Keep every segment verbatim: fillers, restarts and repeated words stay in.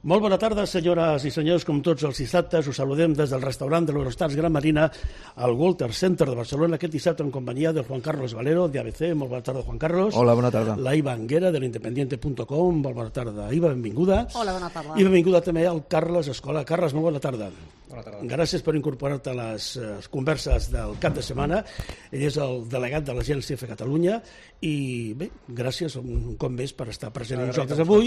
Molt bona tarda, senyores i senyors. Com tots els dissabtes, us saludem des del restaurant de l'Eurostars Gran Marina al Walter Center de Barcelona, aquest dissabte en companyia del Juan Carlos Valero, de A B C. Molt bona tarda, Juan Carlos. Hola, bona tarda. La Iva Anguera, de l'independiente punt com. Molt bona tarda, Iva, benvinguda. Hola, bona tarda. I benvinguda també al Carles Escola. Carles, molt bona tarda. Bona tarda. Gràcies per incorporar-te a les uh, converses del cap de setmana. Ell és el delegat de l'Agència F Catalunya i, bé, gràcies un cop més per estar present amb nosaltres avui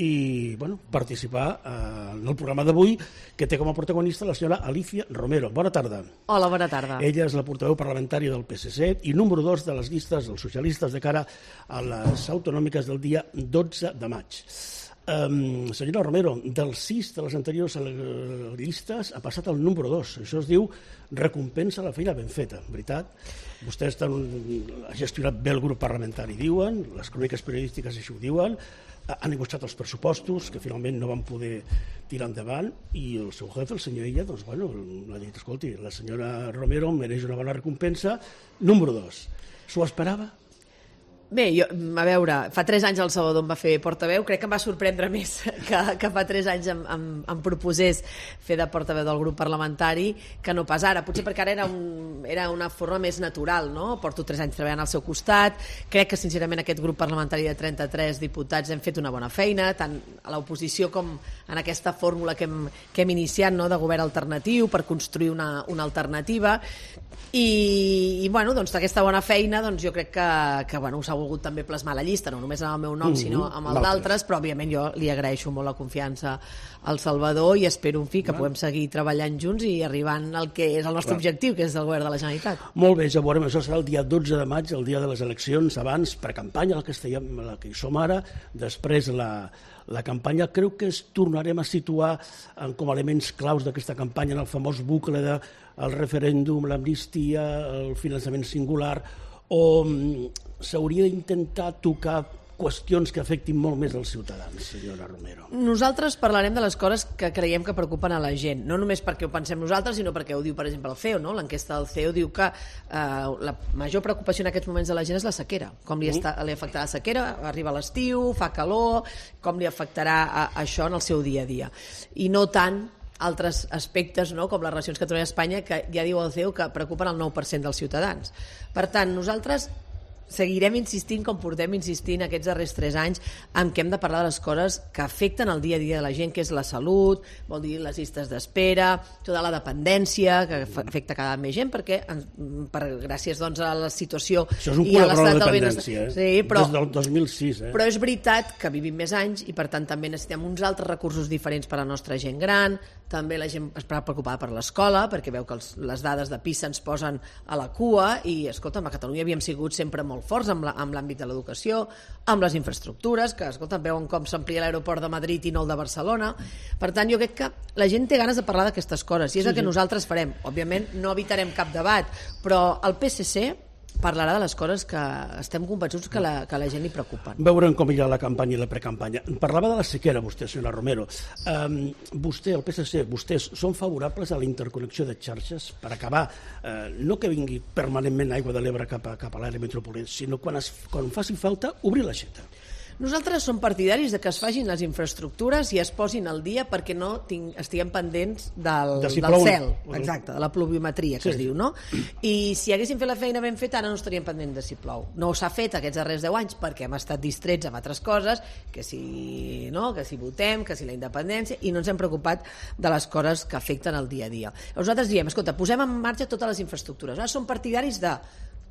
i, bueno, participar uh, en el programa d'avui, que té com a protagonista la senyora Alicia Romero. Bona tarda. Hola, bona tarda. Ella és la portaveu parlamentària del P S C i número dos de les llistes dels socialistes de cara a les autonòmiques del dia dotze de maig. Um, senyora Romero, dels sis de les anteriors llistes ha passat al número dos. Això es diu recompensa la feina ben feta, veritat? Vostè ha gestionat bé el grup parlamentari, diuen, les cròniques periodístiques així ho diuen, han negociat els pressupostos, que finalment no van poder tirar endavant, i el seu jefe, el senyor Illa, doncs, bueno, l'ha dit, escolti, la senyora Romero mereix una bona recompensa. Número dos. S'ho esperava? Bé, jo, a veure, fa tres anys el Salvador em va fer portaveu, crec que em va sorprendre més que, que fa tres anys em, em, em proposés fer de portaveu del grup parlamentari que no pas ara, potser perquè ara era, un, era una forma més natural, no? Porto tres anys treballant al seu costat, crec que sincerament aquest grup parlamentari de trenta-tres diputats hem fet una bona feina, tant a l'oposició com en aquesta fórmula que hem, que hem iniciat, no? De govern alternatiu per construir una, una alternativa i, i bueno, doncs d'aquesta bona feina doncs jo crec que, que bueno, s'ha volgut també plasmar la llista, no només amb el meu nom, mm-hmm, sinó amb el d'altres, però òbviament jo li agraeixo molt la confiança al Salvador i espero, en fi, que puguem seguir treballant junts i arribant al que és el nostre Clar. objectiu, que és el govern de la Generalitat. Molt bé, ja veurem, això serà el dia dotze de maig, el dia de les eleccions, abans, precampanya, la que, estem, la que hi som ara, després la, la campanya. Creu que es tornarem a situar en, com a elements claus d'aquesta campanya en el famós bucle del de, referèndum, l'amnistia, el finançament singular, o s'hauria d'intentar tocar qüestions que afectin molt més els ciutadans, senyora Romero? Nosaltres parlarem de les coses que creiem que preocupen a la gent, no només perquè ho pensem nosaltres, sinó perquè ho diu, per exemple, el C E O, no? L'enquesta del C E O diu que eh, la major preocupació en aquests moments de la gent és la sequera, com li, està, li afectarà la sequera, arriba l'estiu, fa calor, com li afectarà a, a això en el seu dia a dia. I no tant altres aspectes, no? Com les relacions Catalunya-Espanya, que ja diu el C E O que preocupen el nou per cent dels ciutadans. Per tant, nosaltres seguirem insistint, com portem insistint aquests darrers tres anys, en què hem de parlar de les coses que afecten el dia a dia de la gent, que és la salut, vol dir les llistes d'espera, tota la dependència, que afecta cada més gent, perquè per, gràcies doncs, a la situació Això és un col·laborador de la dependència, eh? Sí, però, des del dos mil sis. Eh? Però és veritat que vivim més anys i per tant també necessitem uns altres recursos diferents per a la nostra gent gran, també la gent està preocupada per l'escola, perquè veu que els, les dades de PISA ens posen a la cua i, escolta'm, a Catalunya havíem sigut sempre molt forts amb l'àmbit de l'educació, amb les infraestructures, que, escolta'm, veuen com s'amplia l'aeroport de Madrid i no el de Barcelona. Per tant, jo crec que la gent té ganes de parlar d'aquestes coses i és sí, el que sí. nosaltres farem. Òbviament, no evitarem cap debat, però el P S C parlarà de les coses que estem convençuts que la, que la gent li preocupen. Veurem com irà la campanya i la precampanya. Parlava de la sequera, vostè, senyora Romero. Um, vostè, el P S C, vostès són favorables a la interconnexió de xarxes per acabar, uh, no que vingui permanentment aigua de l'Ebre cap a, cap a l'àrea metropolitana, sinó quan, es, quan faci falta obrir l'aixeta. Nosaltres som partidaris de que es facin les infraestructures i es posin al dia perquè no tinc, estiguem pendents del, de si del plou, cel, exacte, de la pluviometria que sí. es diu, no? I si haguéssim fet la feina ben feta, ara no estaríem pendents de si plou. No s'ha fet aquests darrers deu anys perquè hem estat distrets amb altres coses, que si, no, que si votem, que si la independència, i no ens hem preocupat de les coses que afecten el dia a dia. Nosaltres diem, escolta, posem en marxa totes les infraestructures. Ara som partidaris de,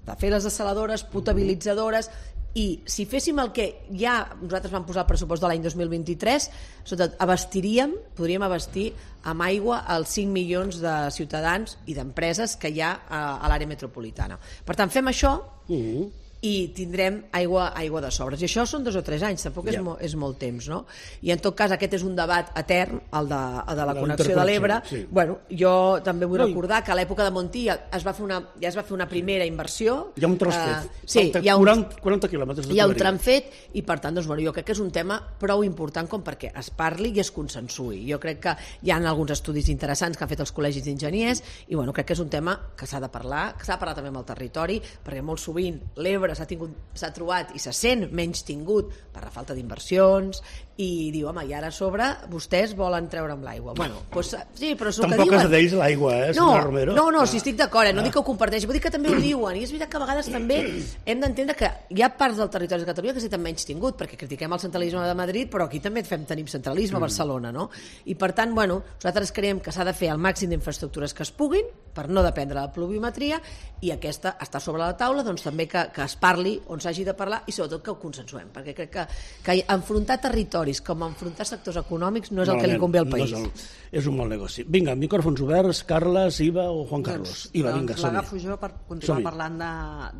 de fer les dessaladores, potabilitzadores, i si féssim el que ja nosaltres vam posar al pressupost de l'any dos mil vint-i-tres, sobretot abastiríem, podríem abastir amb aigua els cinc milions de ciutadans i d'empreses que hi ha a, a l'àrea metropolitana. Per tant, fem això mm-hmm. i tindrem aigua, aigua de sobres. I això són dos o tres anys, tampoc yeah. és, mo, és molt temps, no? I en tot cas aquest és un debat etern, el de, el de la, la connexió de l'Ebre. Sí. Bueno, jo també vull no, recordar que a l'època de Montilla es va fer una, ja es va fer una primera inversió. Hi ha un tros fet. Uh, sí, hi ha un, quaranta, quaranta quilòmetres de hi ha un tram fet i per tant, doncs, bueno, jo crec que és un tema prou important com perquè es parli i es consensui. Jo crec que hi ha alguns estudis interessants que han fet els col·legis d'enginyers i bueno, crec que és un tema que s'ha de parlar, que s'ha de parlar també amb el territori, perquè molt sovint l'Ebre veure, s'ha tingut, s'ha trobat i se sent menys tingut per la falta d'inversions, i diu, home, i ara a sobre vostès volen treure amb l'aigua. Bueno, doncs, sí, però és el que Tampoc diuen. és d'ells l'aigua, eh, no, senyora Romero? No, no, si estic d'acord, eh? No dic que ho comparteixi, vull dir que també ho diuen, i és veritat que a vegades també hem d'entendre que hi ha parts del territori de Catalunya que s'han menys tingut, perquè critiquem el centralisme de Madrid, però aquí també fem, tenim centralisme a Barcelona, no? I per tant, bueno, nosaltres creiem que s'ha de fer el màxim d'infraestructures que es puguin, per no dependre de la pluviometria, i aquesta està sobre la taula, doncs també que, que es parli on s'hagi de parlar i sobretot que ho consensuem, perquè crec que, que enfrontar territoris com enfrontar sectors econòmics no és el que li convé al país. No és, el, és un mal negoci. Vinga, micròfons oberts, Carles, Iva o Juan Carlos. Doncs, Iva, doncs vinga, som-hi. l'agafo jo per continuar parlant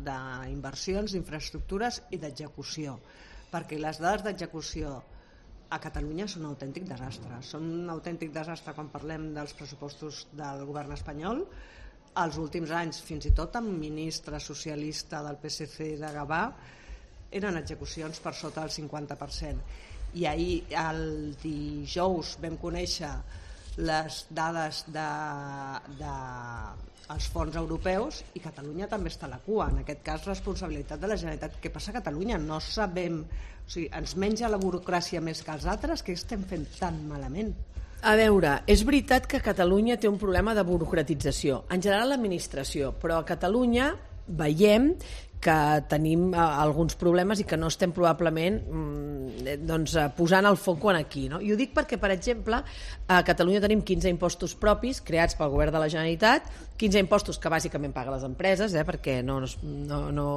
d'inversions, d'infraestructures i d'execució, perquè les dades d'execució a Catalunya són un autèntic desastre. Són un autèntic desastre quan parlem dels pressupostos del govern espanyol. Els últims anys, fins i tot amb ministre socialista del P S C de Gavà, eren execucions per sota del cinquanta per cent. I ahir, el dijous, vam conèixer les dades de, de els fons europeus i Catalunya també està a la cua. En aquest cas, responsabilitat de la Generalitat. Què passa a Catalunya? No sabem... O sigui, ens menja la burocràcia més que els altres? Què estem fent tan malament? A veure, és veritat que Catalunya té un problema de burocratització, en general l'administració, però a Catalunya veiem que tenim eh, alguns problemes i que no estem probablement mm, doncs, eh, posant el foc aquí, no? I ho dic perquè, per exemple, a Catalunya tenim quinze impostos propis creats pel govern de la Generalitat, quinze impostos que bàsicament paguen les empreses, eh, perquè no, no, no,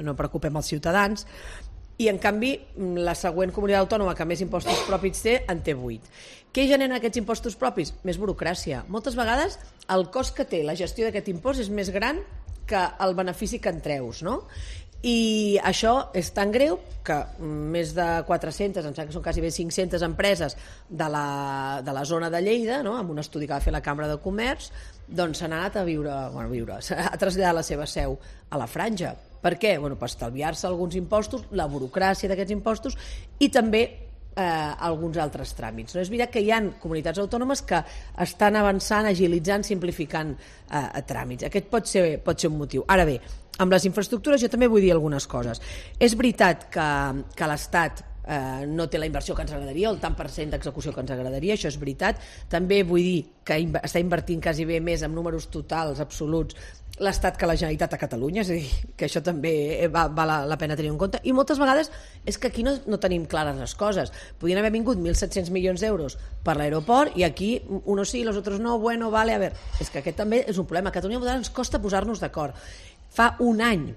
no preocupem els ciutadans, i en canvi la següent comunitat autònoma que més impostos propis té en té vuit. Què generen aquests impostos propis? Més burocràcia. Moltes vegades el cost que té la gestió d'aquest impost és més gran que el benefici que en treus, no? I això és tan greu que més de quatre-centes, em sembla que són quasi bé cinc-centes empreses de la, de la zona de Lleida, no? Amb un estudi que va fer la Cambra de Comerç, doncs s'han anat a viure, bueno, a viure, a traslladar la seva seu a la Franja. Per què? Bueno, per estalviar-se alguns impostos, la burocràcia d'aquests impostos i també eh, alguns altres tràmits. No? És veritat que hi ha comunitats autònomes que estan avançant, agilitzant, simplificant eh, tràmits. Aquest pot ser, pot ser un motiu. Ara bé, amb les infraestructures jo també vull dir algunes coses. És veritat que, que l'Estat eh, no té la inversió que ens agradaria, el tant per cent d'execució que ens agradaria, això és veritat. També vull dir que està invertint quasi bé més en números totals absoluts l'Estat que la Generalitat a Catalunya, és a dir, que això també va, val la, la pena tenir en compte, i moltes vegades és que aquí no, no tenim clares les coses. Podien haver vingut mil set-cents milions d'euros per l'aeroport i aquí unos sí, los otros no, bueno, vale, a veure, és que aquest també és un problema. A Catalunya ens costa posar-nos d'acord. Fa un any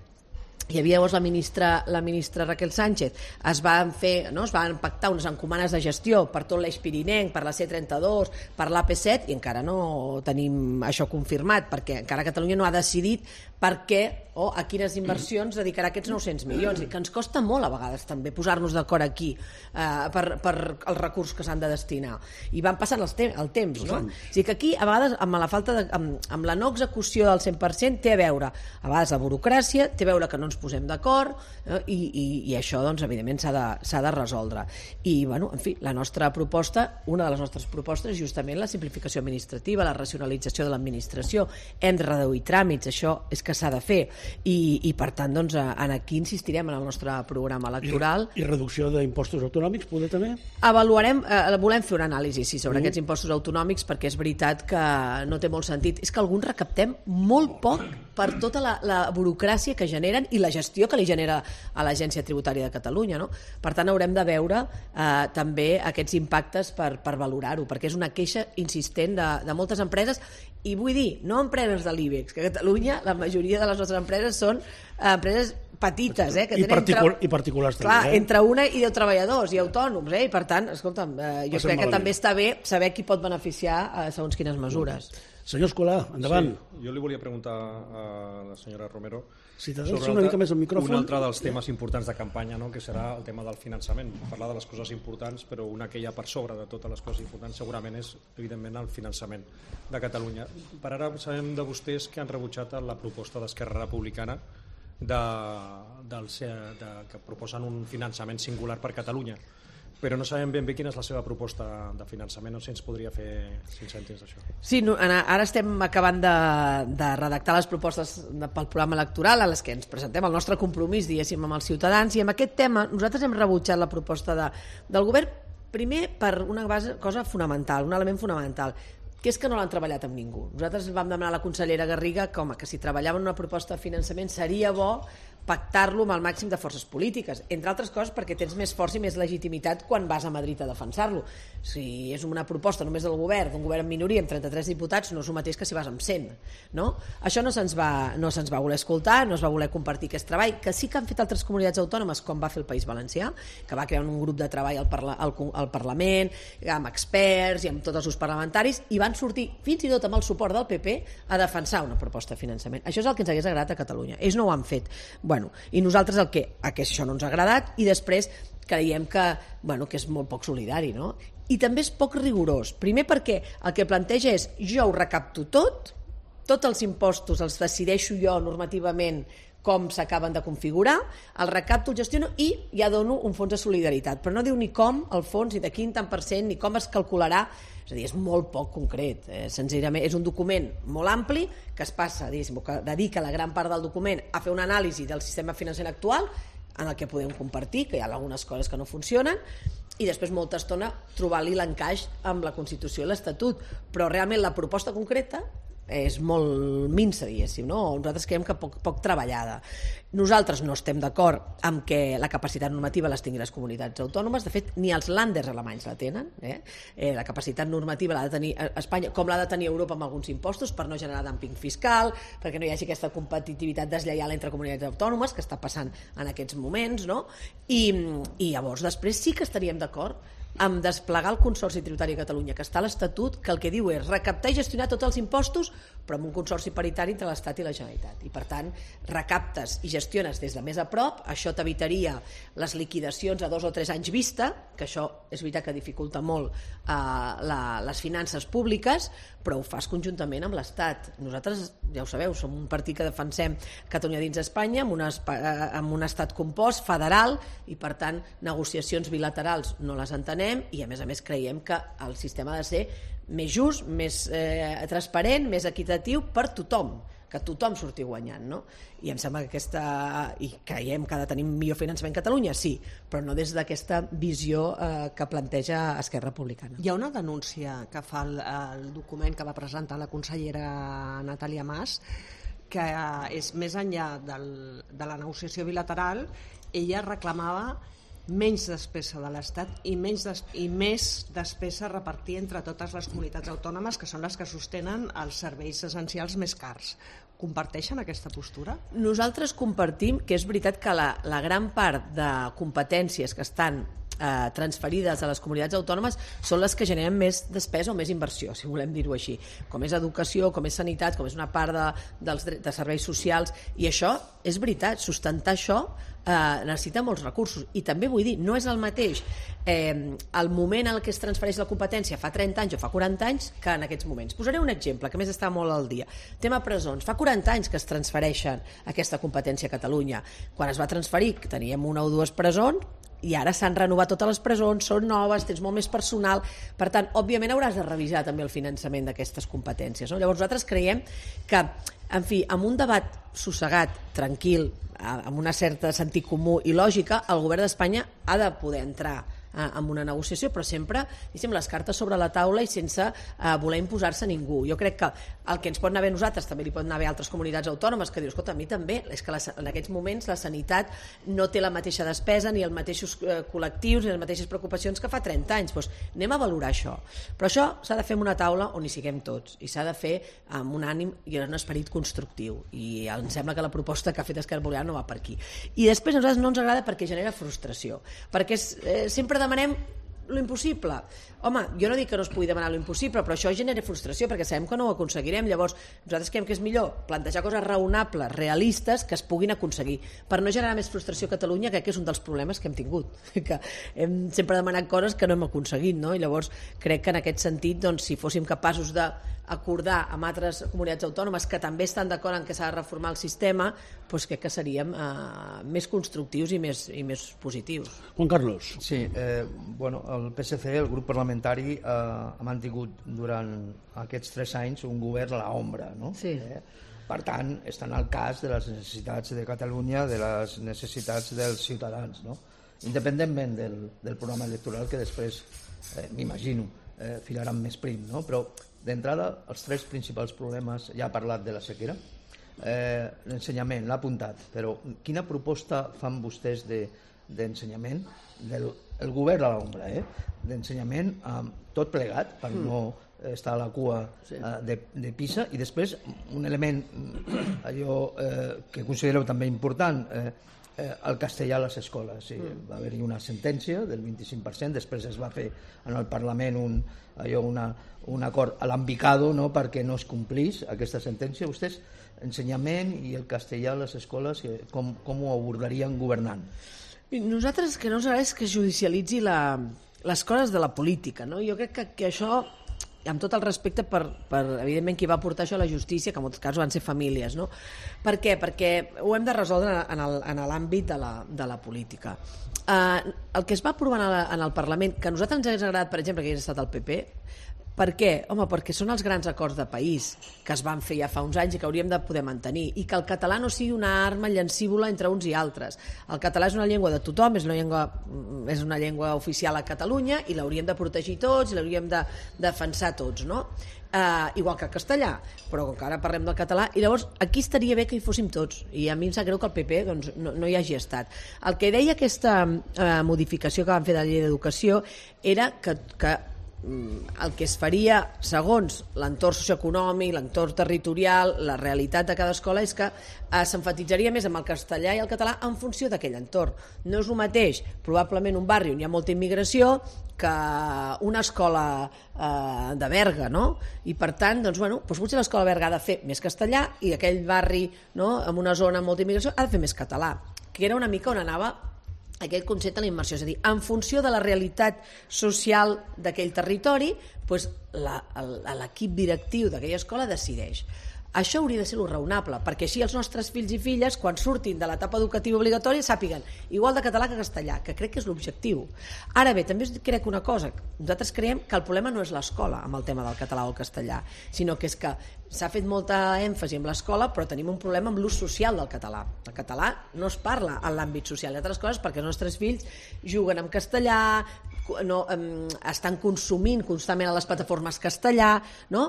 hi havia llavors la ministra, la ministra Raquel Sánchez, es van fer, no? Es van pactar unes encomanes de gestió per tot l'Eix Pirinenc, per la C trenta-dos, per l'A P set, i encara no tenim això confirmat, perquè encara Catalunya no ha decidit per què o a quines inversions dedicarà aquests nou-cents milions, i que ens costa molt a vegades també posar-nos d'acord aquí eh, per, per els recursos que s'han de destinar. I van passant els te el temps, no? O sigui que aquí, a vegades, amb la falta de, amb, amb la no execució del cent per cent té a veure, a vegades, la burocràcia, té a veure que no ens posem d'acord, eh, i, i, i això, doncs, evidentment, s'ha de, s'ha de resoldre. I, bueno, en fi, la nostra proposta, una de les nostres propostes és justament la simplificació administrativa, la racionalització de l'administració. Hem de reduir tràmits, això és que s'ha de fer. I, i per tant, doncs, en aquí insistirem en el nostre programa electoral. I, i reducció d'impostos autonòmics, poder també? Avaluarem, eh, volem fer una anàlisi, sí, sobre mm. aquests impostos autonòmics, perquè és veritat que no té molt sentit. És que alguns recaptem molt poc per tota la, la burocràcia que generen i la gestió que li genera a l'Agència Tributària de Catalunya, no? Per tant, haurem de veure eh, també aquests impactes per, per valorar-ho, perquè és una queixa insistent de, de moltes empreses, i vull dir, no empreses de l'IBEX, que a Catalunya la majoria de les nostres empreses són eh, empreses petites, eh, que I, tenen particul entre, i particulars clar, també, eh? entre una i deu treballadors i autònoms, eh? I per tant, escolta'm, eh, jo Passem crec que malament. també està bé saber qui pot beneficiar eh, segons quines mesures. Senyor Escolà, endavant. Sí, jo li volia preguntar a la senyora Romero si t'adreça una mica més al micròfon. Un altre dels temes importants de campanya, no?, que serà el tema del finançament. Parlar de les coses importants, però una que hi ha per sobre de totes les coses importants segurament és, evidentment, el finançament de Catalunya. Per ara sabem de vostès que han rebutjat la proposta d'Esquerra Republicana de, del, de, que proposen un finançament singular per Catalunya. però no sabem ben bé quina és la seva proposta de finançament, no sé si ens podria fer cinc cèntims d'això. Sí, no, ara estem acabant de, de redactar les propostes de, pel programa electoral a les que ens presentem el nostre compromís, diguéssim, amb els ciutadans, i amb aquest tema nosaltres hem rebutjat la proposta de, del govern, primer per una base, cosa fonamental, un element fonamental, que és que no l'han treballat amb ningú. Nosaltres vam demanar a la consellera Garriga que, home, que si treballaven una proposta de finançament seria bo pactar-lo amb el màxim de forces polítiques, entre altres coses perquè tens més força i més legitimitat quan vas a Madrid a defensar-lo. Si és una proposta només del govern, d'un govern en minoria amb trenta-tres diputats, no és el mateix que si vas amb cent, no? Això no se'ns va, no se'ns va voler escoltar, no es va voler compartir aquest treball, que sí que han fet altres comunitats autònomes, com va fer el País Valencià, que va crear un grup de treball al, parla, al, al Parlament, amb experts i amb tots els grups parlamentaris, i van sortir, fins i tot amb el suport del P P, a defensar una proposta de finançament. Això és el que ens hagués agradat a Catalunya. Ells no ho han fet. Bueno, i nosaltres el que, a que això no ens ha agradat, i després creiem que, bueno, que és molt poc solidari, no? I també és poc rigorós. Primer perquè el que planteja és jo ho recapto tot, tots els impostos els decideixo jo normativament com s'acaben de configurar, el recapto, el gestiono i ja dono un fons de solidaritat, però no diu ni com el fons, ni de quin tant per cent, ni com es calcularà. És a dir, és molt poc concret, eh? Senzillament és un document molt ampli que es passa, que dedica la gran part del document a fer una anàlisi del sistema financer actual, en el que podem compartir, que hi ha algunes coses que no funcionen, i després molta estona trobar-li l'encaix amb la Constitució i l'Estatut, però realment la proposta concreta és molt minsa, diguéssim, no? Nosaltres creiem que poc, poc treballada. Nosaltres no estem d'acord amb que la capacitat normativa les tingui les comunitats autònomes, de fet ni els lànders alemanys la tenen, eh? Eh, la capacitat normativa l'ha de tenir Espanya, com l'ha de tenir Europa amb alguns impostos, per no generar dumping fiscal, perquè no hi hagi aquesta competitivitat deslleial entre comunitats autònomes que està passant en aquests moments, no? I, i llavors després sí que estaríem d'acord amb desplegar el Consorci Tributari de Catalunya, que està a l'Estatut, que el que diu és recaptar i gestionar tots els impostos, però amb un consorci paritari entre l'Estat i la Generalitat. I per tant, recaptes i gestiones des de més a prop, això t'evitaria les liquidacions a dos o tres anys vista, que això és veritat que dificulta molt eh, la, les finances públiques, però ho fas conjuntament amb l'Estat. Nosaltres, ja ho sabeu, som un partit que defensem Catalunya dins Espanya, amb, una, amb un estat compost, federal, i per tant, negociacions bilaterals no les entenem, i a més a més creiem que el sistema ha de ser més just, més eh, transparent, més equitatiu per tothom, que tothom surti guanyant, no? I em sembla que aquesta, i creiem que ha de tenir millor finançament Catalunya, sí, però no des d'aquesta visió eh, que planteja Esquerra Republicana. Hi ha una denúncia que fa el, el document que va presentar la consellera Natàlia Mas, que és més enllà del, de la negociació bilateral, ella reclamava menys despesa de l'Estat i, menys des, i més despesa a repartir entre totes les comunitats autònomes, que són les que sostenen els serveis essencials més cars. Comparteixen aquesta postura? Nosaltres compartim que és veritat que la, la gran part de competències que estan eh, transferides a les comunitats autònomes són les que generen més despesa o més inversió, si volem dir-ho així, com és educació, com és sanitat, com és una part de, dels, de serveis socials, i això és veritat, sustentar això eh, necessita molts recursos, i també vull dir, no és el mateix eh, el moment en què es transfereix la competència fa trenta anys o fa quaranta anys que en aquests moments. Posaré un exemple que més està molt al dia. Tema presons. Fa quaranta anys que es transfereixen aquesta competència a Catalunya. Quan es va transferir teníem una o dues presons, i ara s'han renovat totes les presons, són noves, tens molt més personal, per tant, òbviament hauràs de revisar també el finançament d'aquestes competències, no? Llavors nosaltres creiem que, en fi, amb un debat sossegat, tranquil, amb una certa sentit comú i lògica, el govern d'Espanya ha de poder entrar amb una negociació, però sempre diguem, les cartes sobre la taula i sense eh, voler imposar-se a ningú. Jo crec que el que ens pot anar bé a nosaltres també li pot anar bé a altres comunitats autònomes, que dius, escolta, a mi també, és que la, en aquests moments la sanitat no té la mateixa despesa, ni els mateixos eh, col·lectius, ni les mateixes preocupacions que fa trenta anys. Doncs anem a valorar això. Però això s'ha de fer en una taula on hi siguem tots, i s'ha de fer amb un ànim i un esperit constructiu, i em sembla que la proposta que ha fet Esquerra Republicana no va per aquí. I després a nosaltres no ens agrada perquè genera frustració, perquè és, eh, sempre demanem Lo impossible. Home, jo no dic que no es pugui demanar lo impossible, però això genera frustració perquè sabem que no ho aconseguirem. Llavors, nosaltres creiem que és millor plantejar coses raonables, realistes, que es puguin aconseguir. Per no generar més frustració a Catalunya, crec que és un dels problemes que hem tingut, que hem sempre demanat coses que no hem aconseguit, no? I llavors crec que en aquest sentit, doncs, si fóssim capaços d'acordar amb altres comunitats autònomes que també estan d'acord en que s'ha de reformar el sistema, doncs crec que seríem eh, més constructius i més, i més positius. Juan Carlos. Sí, eh, bueno, el P S C, el grup parlamentari, eh, ha mantingut durant aquests tres anys un govern a l'ombra, no? Sí. Eh, per tant, estan al cas de les necessitats de Catalunya, de les necessitats dels ciutadans, no? Independentment del, del programa electoral que després, eh, m'imagino, eh, filaran més prim, no? Però d'entrada, els tres principals problemes, ja ha parlat de la sequera, eh, l'ensenyament, l'ha apuntat, però quina proposta fan vostès de, d'ensenyament, del el govern a l'ombra, eh? d'ensenyament eh, tot plegat, per mm. no estar a la cua sí. eh, de, de PISA, i després un element, allò eh, que considereu també important, eh, eh, el castellà a les escoles. Sí, mm. Va haver-hi una sentència del vint-i-cinc per cent, després es va fer en el Parlament un, allò, una, un acord alambicado, no?, perquè no es complís aquesta sentència. Vostès, ensenyament i el castellà a les escoles, com, com ho abordarien governant? Nosaltres que no ens agrada és que judicialitzi la, les coses de la política, no? Jo crec que, que això, amb tot el respecte per, per, evidentment, qui va portar això a la justícia, que en molts casos van ser famílies, no? Per què? Perquè ho hem de resoldre en el, en l'àmbit de la, de la política. Uh, el que es va aprovar en, la, en el Parlament, que a nosaltres ens hagués agradat, per exemple, que hagués estat el P P, per què? Home, perquè són els grans acords de país que es van fer ja fa uns anys i que hauríem de poder mantenir, i que el català no sigui una arma llancívola entre uns i altres. El català és una llengua de tothom, és una llengua, és una llengua oficial a Catalunya, i l'hauríem de protegir tots, i l'hauríem de defensar tots, no? Uh, igual que el castellà, però com que ara parlem del català, i llavors aquí estaria bé que hi fóssim tots, i a mi em sap greu que el P P doncs, no, no hi hagi estat. El que deia aquesta uh, modificació que van fer de la llei d'educació era que, que el que es faria segons l'entorn socioeconòmic, l'entorn territorial, la realitat de cada escola, és que eh, s'enfatitzaria més amb el castellà i el català en funció d'aquell entorn. No és el mateix, probablement, un barri on hi ha molta immigració que una escola eh, de Berga, no? I per tant, doncs, bueno, doncs potser l'escola Berga ha de fer més castellà i aquell barri, no?, en una zona amb molta immigració ha de fer més català, que era una mica on anava aquell concepte de la immersió, és a dir, en funció de la realitat social d'aquell territori, doncs l'equip directiu d'aquella escola decideix. Això hauria de ser lo raonable, perquè així els nostres fills i filles, quan surtin de l'etapa educativa obligatòria, sàpiguen igual de català que castellà, que crec que és l'objectiu. Ara bé, també us crec una cosa, nosaltres creiem que el problema no és l'escola amb el tema del català o el castellà, sinó que és que s'ha fet molta èmfasi en l'escola, però tenim un problema amb l'ús social del català. El català no es parla en l'àmbit social, i altres coses perquè els nostres fills juguen en castellà, no, um, estan consumint constantment a les plataformes castellà, no?,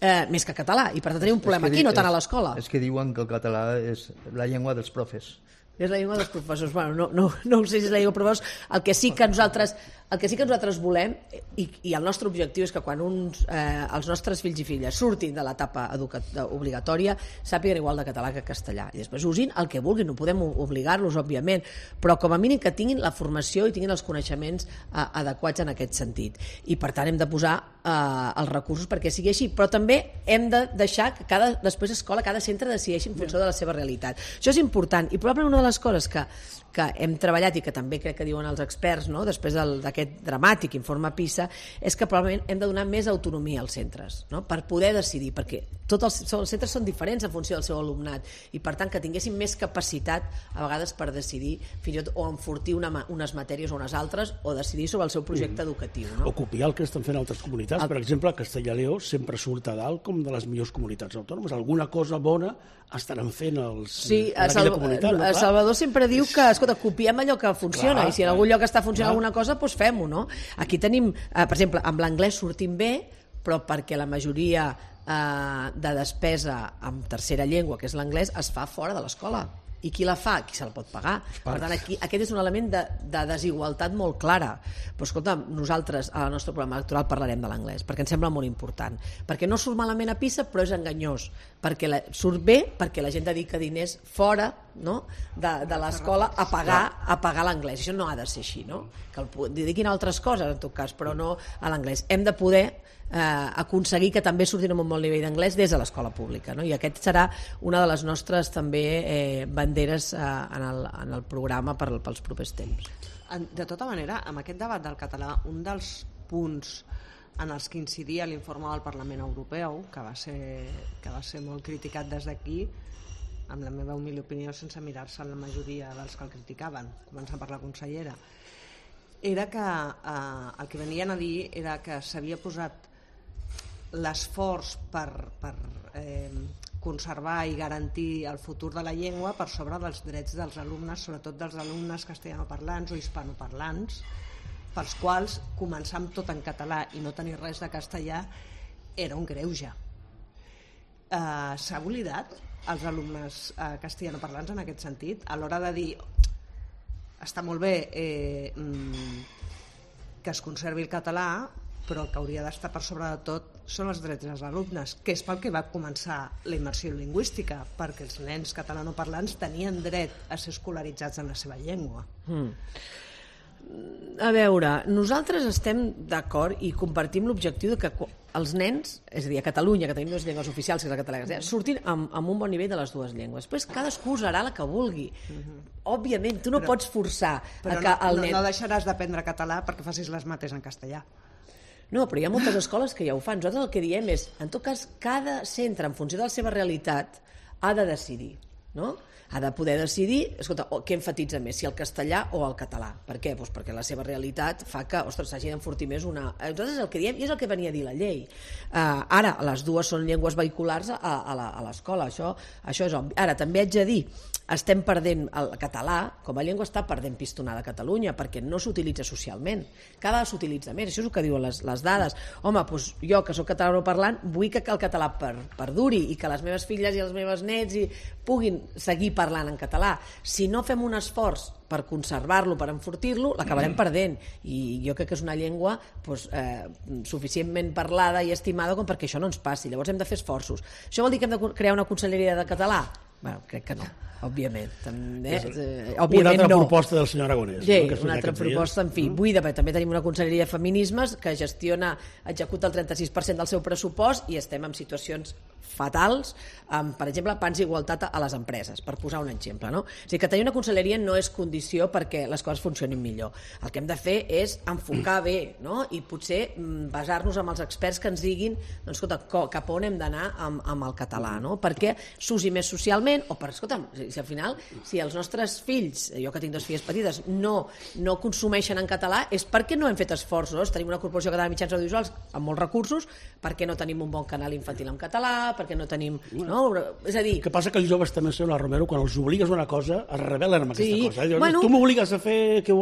Eh, més que català, i per tant tenim un problema aquí, no tant a l'escola. És que diuen que el català és la llengua dels profes. És la llengua dels professors. Bueno, no, no, no ho sé si és la llengua dels professors. El que sí que nosaltres, el que sí que nosaltres volem, i, i el nostre objectiu és que quan uns, eh, els nostres fills i filles surtin de l'etapa obligatòria sàpiguen igual de català que castellà. I després usin el que vulguin, no podem obligar-los, òbviament, però com a mínim que tinguin la formació i tinguin els coneixements eh, adequats en aquest sentit. I per tant hem de posar eh, els recursos perquè sigui així, però també hem de deixar que cada, després escola, cada centre decideixi en funció de la seva realitat. Això és important, i probablement una de les coses que, que hem treballat i que també crec que diuen els experts, no?, després d'aquest dramàtic informe PISA, és que probablement hem de donar més autonomia als centres, no?, per poder decidir, perquè tots els, els centres són diferents en funció del seu alumnat, i per tant que tinguessin més capacitat a vegades per decidir fins i tot o enfortir una, unes matèries o unes altres, o decidir sobre el seu projecte educatiu, no? O copiar el que estan fent altres comunitats. Per exemple, Castella i Lleó sempre surt a dalt com de les millors comunitats autònomes. Alguna cosa bona estaran fent els, sí, en aquella comunitat. No? Salvador sempre diu que, escolta, copiem allò que funciona, clar, i si en algun lloc està funcionant clar. alguna cosa, doncs fem-ho, no? Aquí tenim, eh, per exemple, amb l'anglès sortim bé, però perquè la majoria eh, de despesa en tercera llengua, que és l'anglès, es fa fora de l'escola. I qui la fa? Qui se la pot pagar? Per tant, aquí, aquest és un element de, de desigualtat molt clara. Però, escolta, nosaltres al nostre programa electoral parlarem de l'anglès, perquè ens sembla molt important. Perquè no surt malament a PISA, però és enganyós. Perquè la, surt bé perquè la gent dedica diners fora, no?, de, de l'escola a pagar, a pagar l'anglès. Això no ha de ser així, no? Que el dediquin a altres coses, en tot cas, però no a l'anglès. Hem de poder Eh, aconseguir que també surtin amb un bon nivell d'anglès des de l'escola pública, no? I aquest serà una de les nostres també eh, banderes eh, en, el, en el programa per, pels propers temps. De tota manera, amb aquest debat del català, un dels punts en els que incidia l'informe del Parlament Europeu, que va ser, que va ser molt criticat des d'aquí, amb la meva humil opinió, sense mirar-se la majoria dels que el criticaven, començant per la consellera, era que eh, el que venien a dir era que s'havia posat l'esforç per, per eh, conservar i garantir el futur de la llengua per sobre dels drets dels alumnes, sobretot dels alumnes castellanoparlants o hispanoparlants, pels quals començar amb tot en català i no tenir res de castellà era un greuge. Eh, s'ha oblidat els alumnes eh, castellanoparlants en aquest sentit, a l'hora de dir està molt bé eh, que es conservi el català, però el que hauria d'estar per sobre de tot són els drets dels alumnes, que és pel que va començar la immersió lingüística, perquè els nens catalanoparlants tenien dret a ser escolaritzats en la seva llengua. Mm. A veure, nosaltres estem d'acord i compartim l'objectiu de que els nens, és a dir, a Catalunya, que tenim dues llengües oficials, que és la catalana, surtin amb, amb un bon nivell de les dues llengües. Després cadascú usarà la que vulgui. Mm-hmm. Òbviament, tu no però, pots forçar però a que no, el nen... no, no deixaràs d'aprendre català perquè facis les mates en castellà. No, però hi ha moltes escoles que ja ho fan. Nosaltres el que diem és, en tot cas, cada centre, en funció de la seva realitat, ha de decidir, no? Ha de poder decidir, escolta, què enfatitza més, si el castellà o el català. Per què? Doncs perquè la seva realitat fa que, ostres, s'hagi d'enfortir més una... Nosaltres el que diem, i és el que venia a dir la llei. Uh, ara, les dues són llengües vehiculars a, a l'escola, això, això és obvi. Ara, també haig de dir, estem perdent el català, com a llengua està perdent pistonada a Catalunya, perquè no s'utilitza socialment. Cada vegada s'utilitza més, això és el que diuen les, les dades. Home, doncs jo, que soc catalanoparlant, vull que el català per, perduri i que les meves filles i els meus nets i puguin seguir parlant en català. Si no fem un esforç per conservar-lo, per enfortir-lo, l'acabarem perdent. I jo crec que és una llengua doncs, eh, suficientment parlada i estimada com perquè això no ens passi. Llavors hem de fer esforços. Això vol dir que hem de crear una conselleria de català? Bé, crec que no, òbviament. També, eh, òbviament una altra no. proposta del senyor Aragonès. Sí, no? una altra proposta, en fi, buida, perquè també tenim una conselleria de feminismes que gestiona, executa el trenta-sis per cent del seu pressupost i estem en situacions fatals, amb, per exemple, pans i igualtat a les empreses, per posar un exemple. No? O sigui, que tenir una conselleria no és condició perquè les coses funcionin millor. El que hem de fer és enfocar bé, no? I potser basar-nos en els experts que ens diguin doncs, escolta, cap on hem d'anar amb, amb el català, no? Perquè s'usi més socialment, o per, escolta'm, si al final, si els nostres fills, jo que tinc dues filles petites, no, no consumeixen en català, és perquè no hem fet esforços. Tenim una corporació catalana de mitjans audiovisuals amb molts recursos, perquè no tenim un bon canal infantil en català, perquè no tenim... No? És a dir... El que passa que els joves també, senyora Romero, quan els obligues a una cosa, es rebel·len amb aquesta sí. cosa. Eh? Bueno... Tu m'obligues a fer... Que...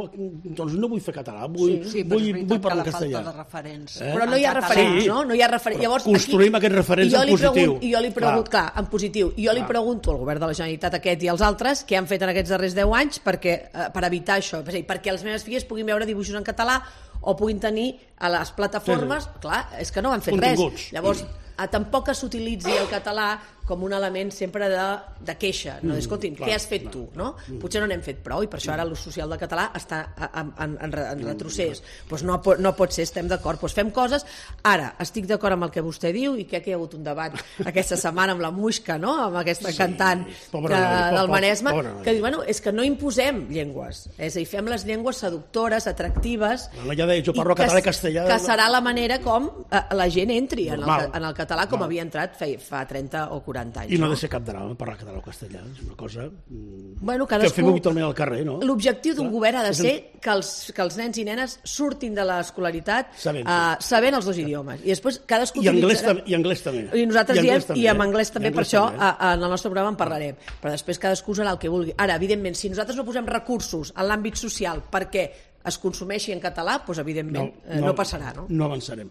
Doncs no vull fer català, vull, sí, sí, vull, vull parlar castellà. De referents. Eh? Però no hi ha referents, sí. no? No hi ha referents. Llavors, construïm aquí... aquests referents en positiu. I jo li pregunto, clar. clar, en positiu. I jo li pregunto al govern de la Generalitat aquest i als altres què han fet en aquests darrers deu anys perquè, eh, per evitar això, és a dir, perquè les meves filles puguin veure dibuixos en català o puguin tenir a les plataformes, sí, sí. clar, és que no han fet continguts. Res. Llavors, a, tampoc que s'utilitzi el català com un element sempre de, de queixa, no? Mm, escolti'm, clar, què has fet clar, tu? No? Mm. Potser no n'hem fet prou i per això ara l'ús social del català està en, en, en, en retrocés. Mm. Pues no, no pot ser, estem d'acord. Pues fem coses. Ara, estic d'acord amb el que vostè diu i crec que hi ha hagut un debat aquesta setmana amb la Muixca, no? Amb aquesta sí, cantant pobre, que, pobre, del Maresme, pobre, pobre, que diu, bueno, és que no imposem llengües, és a dir, fem les llengües seductores, atractives, no, ja de, jo parlo català i castellà, que serà la manera com eh, la gent entri en el, en el català com havia entrat fa, fa trenta o quaranta anys. I no ha de ser cap drama parlar català o castellà, és una cosa bueno, cadascú... que fem habitualment al carrer, no? L'objectiu d'un govern ha de ser que els, que els nens i nenes surtin de l'escolaritat sabent, uh, sabent els dos idiomes. I després cadascú I anglès, utilitzarà... I anglès també. I nosaltres I diem, també, i amb anglès també, per això també. a, en el nostre programa en parlarem. Però després cadascú usarà el que vulgui. Ara, evidentment, si nosaltres no posem recursos en l'àmbit social perquè es consumeixi en català, doncs evidentment no, no, no passarà, no? No avançarem.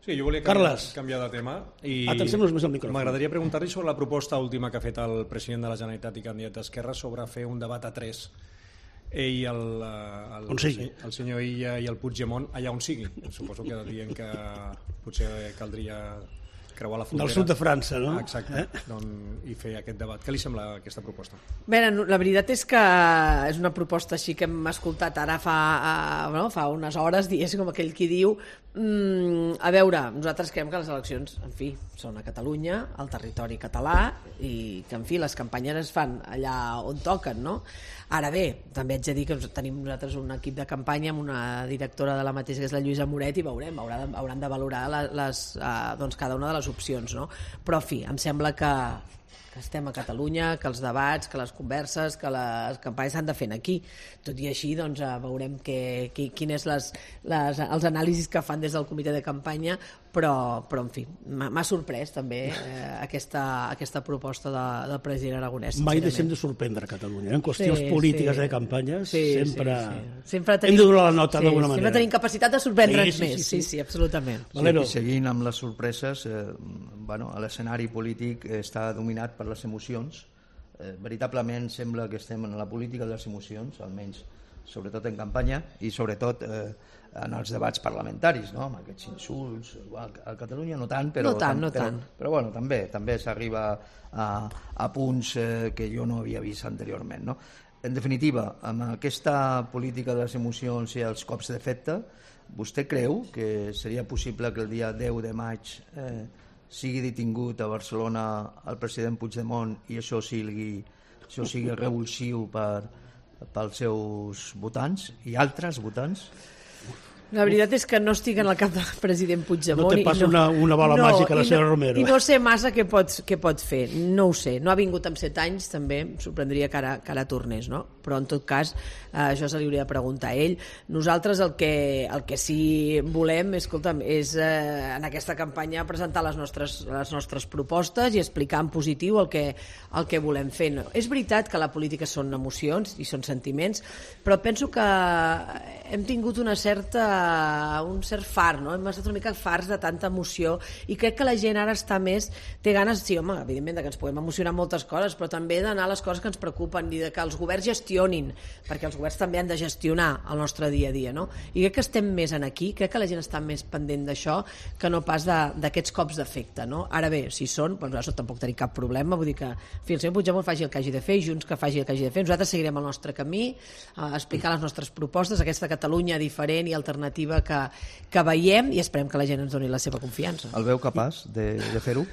Sí, jo volia canviar, Carles. canviar de tema i Atencem-nos més al micròfon. m'agradaria preguntar-li sobre la proposta última que ha fet el president de la Generalitat i candidat d'Esquerra sobre fer un debat a tres, ell, el, el, On sigui. el senyor Illa i el Puigdemont, allà on sigui. Suposo que dient que potser caldria creuar la frontera. Del sud de França, no? Exacte, eh? doncs, i fer aquest debat. Què li sembla aquesta proposta? Bé, la veritat és que és una proposta així que hem escoltat ara fa, no, fa unes hores, diguéssim, com aquell qui diu mm, a veure, nosaltres creiem que les eleccions, en fi, són a Catalunya, al territori català, i que, en fi, les campanyes es fan allà on toquen, no? Ara bé, també haig de dir que tenim nosaltres un equip de campanya amb una directora de la mateixa, que és la Lluïsa Moret, i veurem, haurà de, hauran de valorar les, les, uh, doncs cada una de les opcions, no? Però, en fi, em sembla que, que estem a Catalunya, que els debats, que les converses, que les campanyes s'han de fer aquí. Tot i així, doncs, veurem que, que, quines les, les, els anàlisis que fan des del comitè de campanya, però, però en fi, m'ha sorprès també eh, aquesta, aquesta proposta de, del president aragonès. Mai deixem de sorprendre a Catalunya. En qüestions Sí, polítiques sí. de campanyes Sí, sempre, sí, sí. Sempre tenim, hem de donar la nota sí, d'alguna sempre manera. tenim capacitat de sorprendre'ns Sí, sí, més. sí, Sí, sí. sí, absolutament. Valero. Sí, seguint amb les sorpreses, eh, bueno, l'escenari polític està dominat per les emocions. Eh, veritablement sembla que estem en la política de les emocions, almenys sobretot en campanya i sobretot eh, en els debats parlamentaris, no? Amb aquests insults. A Catalunya no tant, però, No tant, no però, tant. però bueno, també també s'arriba a, a punts eh, que jo no havia vist anteriorment, no? En definitiva, amb aquesta política de les emocions i els cops d'efecte, vostè creu que seria possible que el dia deu de maig eh, sigui detingut a Barcelona el president Puigdemont i això sigui, això sigui revulsiu per, pels seus votants i altres votants? La veritat és que no estic en el cap del president Puigdemont. No té i pas una- una bola màgica, la i senyora no, Romero. I no sé massa què pot, què pot fer, no ho sé. No ha vingut amb set anys, també em sorprendria que ara, que ara tornés, no? Però en tot cas, eh, això se li hauria de preguntar a ell. Nosaltres el que, el que sí volem, escolta'm, és eh, en aquesta campanya presentar les nostres, les nostres propostes i explicar en positiu el que, el que volem fer. No? És veritat que la política són emocions i són sentiments, però penso que hem tingut una certa un cert far, no? Hem estat una mica farts de tanta emoció i crec que la gent ara està més, té ganes, sí, home, evidentment que ens podem emocionar moltes coses, però també d'anar a les coses que ens preocupen i de que els governs gestionin, perquè els governs també han de gestionar el nostre dia a dia, no? I crec que estem més en aquí, crec que la gent està més pendent d'això que no pas d'aquests cops d'efecte, no? Ara bé, si són, doncs nosaltres tampoc tenim cap problema, vull dir que fi, el senyor Puigdemont faci el que hagi de fer, Junts que faci el que hagi de fer, nosaltres seguirem el nostre camí, a explicar les nostres propostes, aquesta Catalunya diferent i alternativa que, que veiem i esperem que la gent ens doni la seva confiança. El veu capaç de, de fer-ho?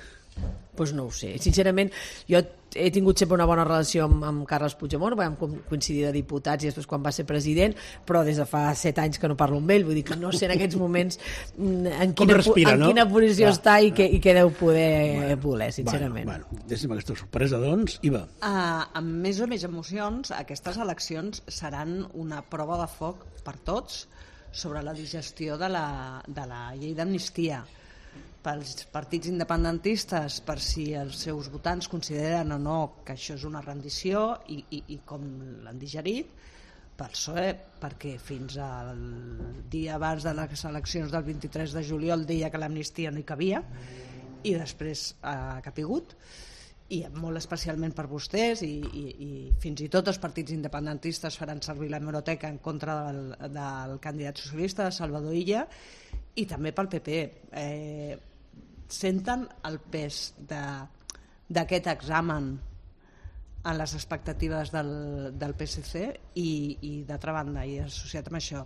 Doncs no ho sé. Sincerament, jo he tingut sempre una bona relació amb, amb Carles Puigdemont, vam coincidir de diputats i després quan va ser president, però des de fa set anys que no parlo amb ell, vull dir que no sé en aquests moments en quina, respira, en no? quina posició Clar, està i què, i què deu poder Bueno, voler, sincerament. Bueno, bueno, deixem aquesta sorpresa, doncs, i va. Uh, amb més o més emocions, aquestes eleccions seran una prova de foc per tots sobre la digestió de la, de la llei d'amnistia. Pels partits independentistes, per si els seus votants consideren o no que això és una rendició i, i, i com l'han digerit, pel P S O E, perquè fins al dia abans de les eleccions del vint-i-tres de juliol deia que l'amnistia no hi cabia i després ha capigut, i molt especialment per vostès i, i, i fins i tot els partits independentistes faran servir la hemeroteca en contra del, del candidat socialista Salvador Illa, i també pel P P. Eh, senten el pes d'aquest examen en les expectatives del, del P S C i, i d'altra banda, i associat amb això,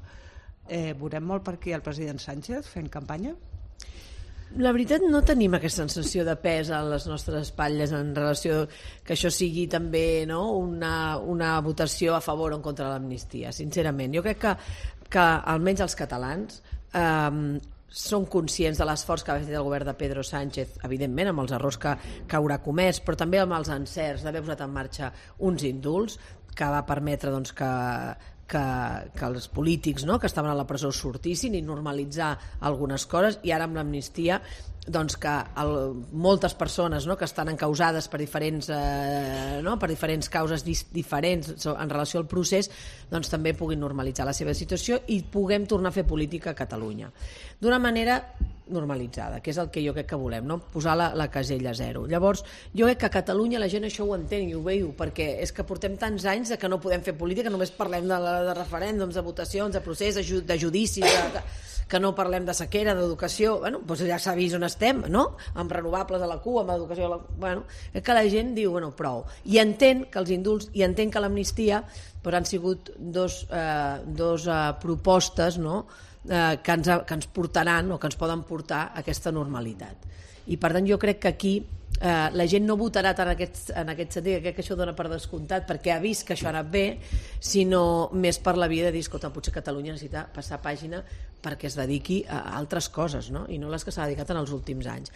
eh, veurem molt per aquí el president Sánchez fent campanya? La veritat no tenim aquesta sensació de pes a les nostres espatlles en relació que això sigui també, no, una, una votació a favor o en contra de l'amnistia, sincerament. Jo crec que, que almenys els catalans eh, són conscients de l'esforç que ha fet el govern de Pedro Sánchez, evidentment amb els errors que, que haurà comès, però també amb els encerts d'haver posat en marxa uns indults que va permetre doncs, que Que, que els polítics, no?, que estaven a la presó sortissin i normalitzar algunes coses, i ara amb l'amnistia doncs que el, moltes persones, no?, que estan encausades per diferents, eh, no?, per diferents causes dis, diferents en relació al procés, doncs també puguin normalitzar la seva situació i puguem tornar a fer política a Catalunya d'una manera normalitzada, que és el que jo crec que volem, no? Posar la, la casella zero. Llavors, jo crec que a Catalunya la gent això ho entén i ho veiu, perquè és que portem tants anys de que no podem fer política, només parlem de, de referèndums, de votacions, de procés, de, ju de judicis, de, que no parlem de sequera, d'educació, bueno, doncs ja s'ha vist on estem, no? Amb renovables a la cua, amb educació a la cua, bueno, és que la gent diu, bueno, prou. I entén que els indults, i entén que l'amnistia però han sigut dos, eh, dos eh, propostes, no?, eh, que, ens, que ens portaran o que ens poden portar a aquesta normalitat. I per tant jo crec que aquí eh, la gent no votarà tant en aquest, en aquest sentit, crec que això dona per descomptat perquè ha vist que això ha anat bé, sinó més per la via de dir, escolta, potser Catalunya necessita passar pàgina perquè es dediqui a altres coses, no? I no les que s'ha dedicat en els últims anys.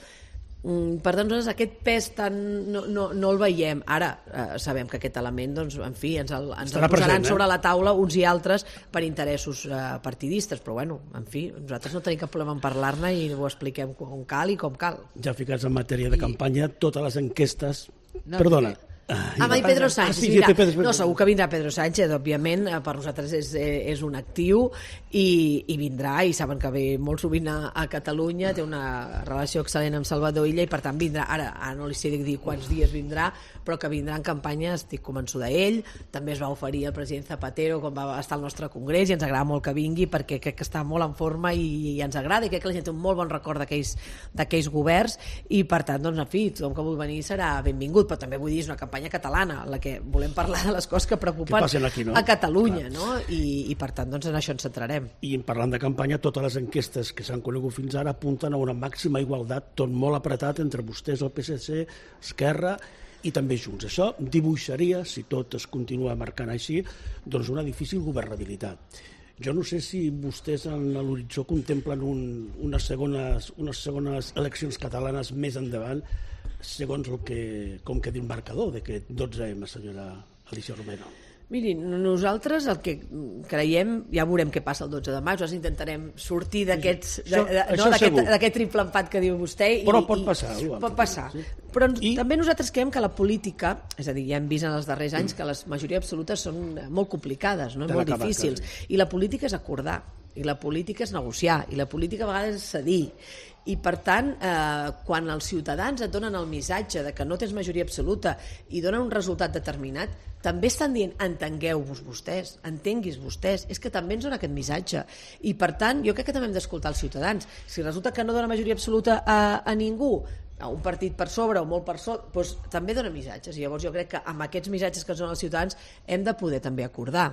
Per tant, nosaltres aquest pes tan no, no, no el veiem. Ara eh, sabem que aquest element, doncs, en fi, ens el, ens el posaran present, eh? sobre la taula uns i altres per interessos eh, partidistes, però bueno, en fi, nosaltres no tenim cap problema en parlar-ne i ho expliquem com cal i com cal. Ja ficats en matèria de I... campanya, totes les enquestes... No, Perdona. Perquè... Ah, i Pedro Sánchez, ah, sí, mira, sí, Pedro... no, segur que vindrà Pedro Sánchez, òbviament, per nosaltres és, és un actiu i, i vindrà, i saben que ve molt sovint a, a Catalunya, té una relació excel·lent amb Salvador Illa i per tant vindrà, ara, ara no li sé dir quants dies vindrà, però que vindrà en campanya, estic convençuda d'ell. També es va oferir el president Zapatero quan va estar al nostre congrés i ens agrada molt que vingui perquè crec que està molt en forma i, i ens agrada i crec que la gent té un molt bon record d'aquells governs i per tant, doncs, en fi, tothom que vulgui venir serà benvingut, però també vull dir, és una campanya catalana, en la que volem parlar de les coses que preocupen que aquí, no? a Catalunya, no? I, i per tant, doncs, en això ens centrarem. I parlant de campanya, totes les enquestes que s'han conegut fins ara apunten a una màxima igualtat, tot molt apretat entre vostès, el P S C, Esquerra i també Junts. Això dibuixaria, si tot es continua marcant així, doncs una difícil governabilitat. Jo no sé si vostès en l'horitzó contemplen un, unes, segones, unes segones eleccions catalanes més endavant, segons el que, com que diu el marcador d'aquest dotze eme, senyora Alícia Romero. Miri, nosaltres el que creiem, ja veurem què passa el dotze de maig, nosaltres intentarem sortir d'aquest no, triple empat que diu vostè. Però i, pot passar. I, pot passar. Sí. Però I... també nosaltres creiem que la política, és a dir, ja hem vist en els darrers anys que les majories absolutes són molt complicades, no? molt difícils, i la política és acordar, i la política és negociar, i la política a vegades és cedir. I per tant, eh, quan els ciutadans et donen el missatge de que no tens majoria absoluta i donen un resultat determinat, també estan dient, entengueu-vos vostès, entenguis vostès, és que també ens dona aquest missatge. I per tant, jo crec que també hem d'escoltar els ciutadans. Si resulta que no dona majoria absoluta a, a ningú, a un partit per sobre o molt per sota, doncs també dona missatges. I llavors jo crec que amb aquests missatges que ens donen els ciutadans hem de poder també acordar.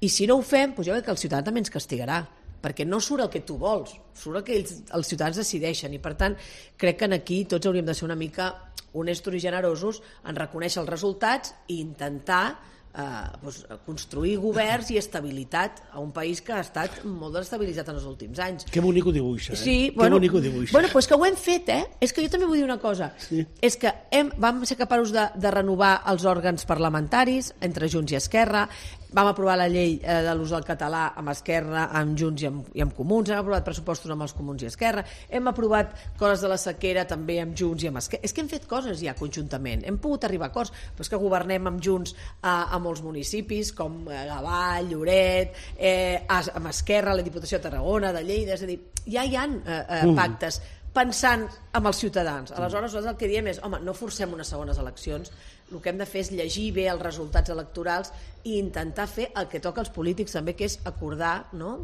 I si no ho fem, doncs jo crec que el ciutadà també ens castigarà, perquè no surt el que tu vols, surt el que ells, els ciutadans decideixen, i per tant crec que aquí tots hauríem de ser una mica honestos i generosos en reconèixer els resultats i intentar eh, doncs, construir governs i estabilitat a un país que ha estat molt desestabilitzat en els últims anys. Que bonic ho dibuixa, eh? Sí, que bueno, bonic ho dibuixa. Bueno, doncs que ho hem fet, eh? És que jo també vull dir una cosa, sí. És que hem, vam ser capaços de, de renovar els òrgans parlamentaris entre Junts i Esquerra, vam aprovar la llei eh, de l'ús del català amb Esquerra, amb Junts i amb, i amb Comuns, hem aprovat pressupostos amb els Comuns i Esquerra, hem aprovat coses de la sequera també amb Junts i amb Esquerra. És que hem fet coses ja conjuntament, hem pogut arribar a acords, però és que governem amb Junts a, a molts municipis com eh, Gavà, Lloret, eh, amb Esquerra, la Diputació de Tarragona, de Lleida, és a dir, ja hi ha eh, eh, pactes pensant amb els ciutadans. Aleshores, nosaltres el que diem és, home, no forcem unes segones eleccions, el que hem de fer és llegir bé els resultats electorals i intentar fer el que toca als polítics també, que és acordar, no?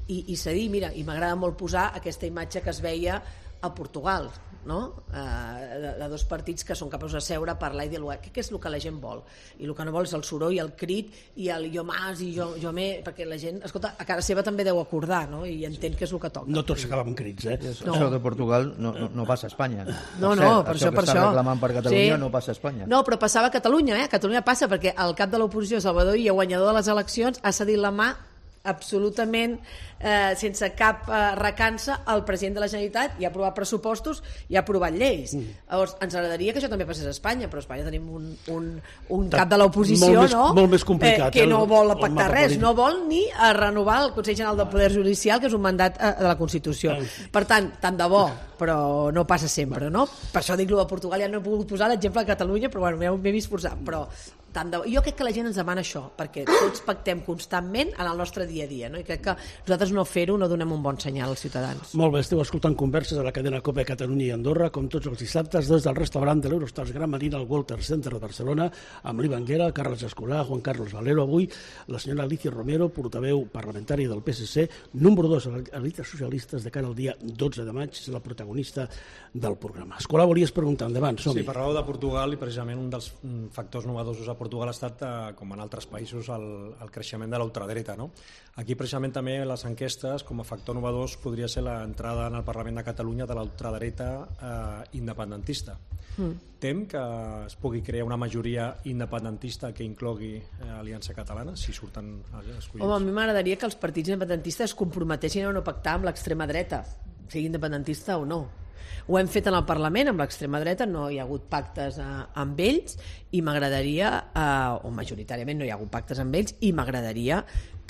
I, i cedir. Mira, i m'agrada molt posar aquesta imatge que es veia a Portugal, no? Eh, de, de dos partits que són capaços de seure, parlar i dialogar. Què és el que la gent vol? I el que no vol és el soroll, el crit i el jo mas i jo, jo me, perquè la gent, escolta, a casa seva també deu acordar, no? I entén que és el que toca. No tots s'acaben crits, eh? No. Això de Portugal no, no, no passa a Espanya. No, no, per això, per això. Això que està reclamant per Catalunya sí. No passa a Espanya. No, però passava a Catalunya, eh? A Catalunya passa perquè el cap de l'oposició, Salvador Illa, guanyador de les eleccions, ha cedit la mà absolutament eh, sense cap eh, recança al president de la Generalitat i ha aprovat pressupostos i ha aprovat lleis. Mm. Llavors, ens agradaria que això també passés a Espanya, però a Espanya tenim un, un, un cap de l'oposició, no? Molt més complicat. Eh, que no vol pactar res, no vol ni a renovar el Consell General del Poder Judicial, que és un mandat eh, de la Constitució. Per tant, tant de bo, però no passa sempre, no? Per això dic-lo de Portugal, ja no he pogut posar l'exemple de Catalunya, però bueno, m'he vist posar, però tant de... Jo crec que la gent ens demana això, perquè tots pactem constantment en el nostre dia a dia, no? I crec que nosaltres no fer-ho no donem un bon senyal als ciutadans. Molt bé, esteu escoltant converses a la cadena COPE Catalunya i Andorra, com tots els dissabtes, des del restaurant de l'Eurostars Gran Marina al Walter Center de Barcelona, amb l'Ivan Guerra, Carles Escolà, Juan Carlos Valero. Avui la senyora Alicia Romero, portaveu parlamentària del P S C, número dos a l'Elites Socialistes de cara al dia dotze de maig, és la protagonista del programa. Escolà, volies preguntar, endavant, som-hi. Sí, parlàveu de Portugal i precisament un dels factors novedosos a Portugal ha estat, eh, com en altres països, el, el creixement de l'ultradreta, no? Aquí precisament també les enquestes, com a factor novedós, podria ser l'entrada en el Parlament de Catalunya de l'ultradreta eh, independentista. Mm. Tem que es pugui crear una majoria independentista que inclogui eh, Aliança Catalana, si surten escollits? Home, a mi m'agradaria que els partits independentistes es comprometessin a no pactar amb l'extrema dreta, sigui independentista o no. Ho hem fet en el Parlament amb l'extrema dreta, no hi ha hagut pactes eh, amb ells i m'agradaria, eh, o majoritàriament no hi ha hagut pactes amb ells, i m'agradaria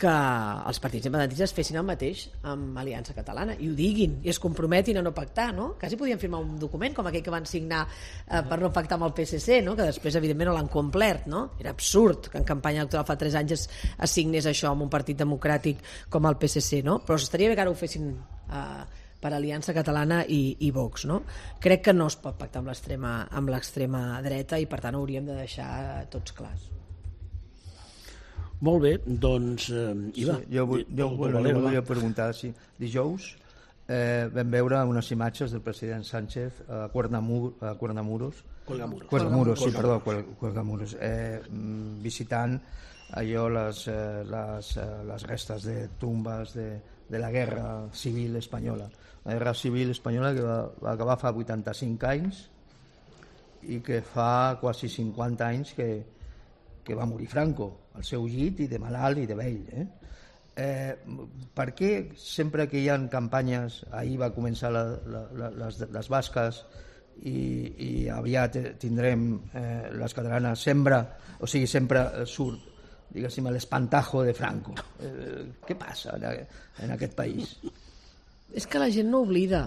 que els partits independentistes fessin el mateix amb Aliança Catalana i ho diguin i es comprometin a no pactar, no? Quasi podien firmar un document com aquell que van signar eh, per no pactar amb el P S C, no? Que després evidentment no l'han complert, no? Era absurd que en campanya electoral fa tres anys es, es signés això amb un partit democràtic com el P S C, no? Però estaria bé que ara ho fessin eh, per Aliança Catalana i, i Vox, no? Crec que no es pot pactar amb l'extrema amb l'extrema dreta i per tant ho hauríem de deixar tots clars. Molt bé, doncs eh, Iva, sí, jo vull, jo, bueno, Valero, volia preguntar si dijous eh, vam veure unes imatges del president Sánchez a Cuernamur, a Cuernamuros Cuelgamuros, Cuelgamuros, sí, perdó, Cuelgamuros, eh, visitant allò les, eh, les, eh, les restes de tumbes de, de la guerra civil espanyola. La guerra civil espanyola que va, va acabar fa vuitanta-cinc anys i que fa quasi cinquanta anys que, que va morir Franco al seu llit i de malalt i de vell. Eh? Eh, per què sempre que hi ha campanyes, ahir va començar la, la, la, les, les basques i, i aviat tindrem eh, les catalanes, sempre, o sigui, sempre surt, diguéssim, l'espantajo de Franco. Eh, què passa en, en aquest país? És que la gent no oblida.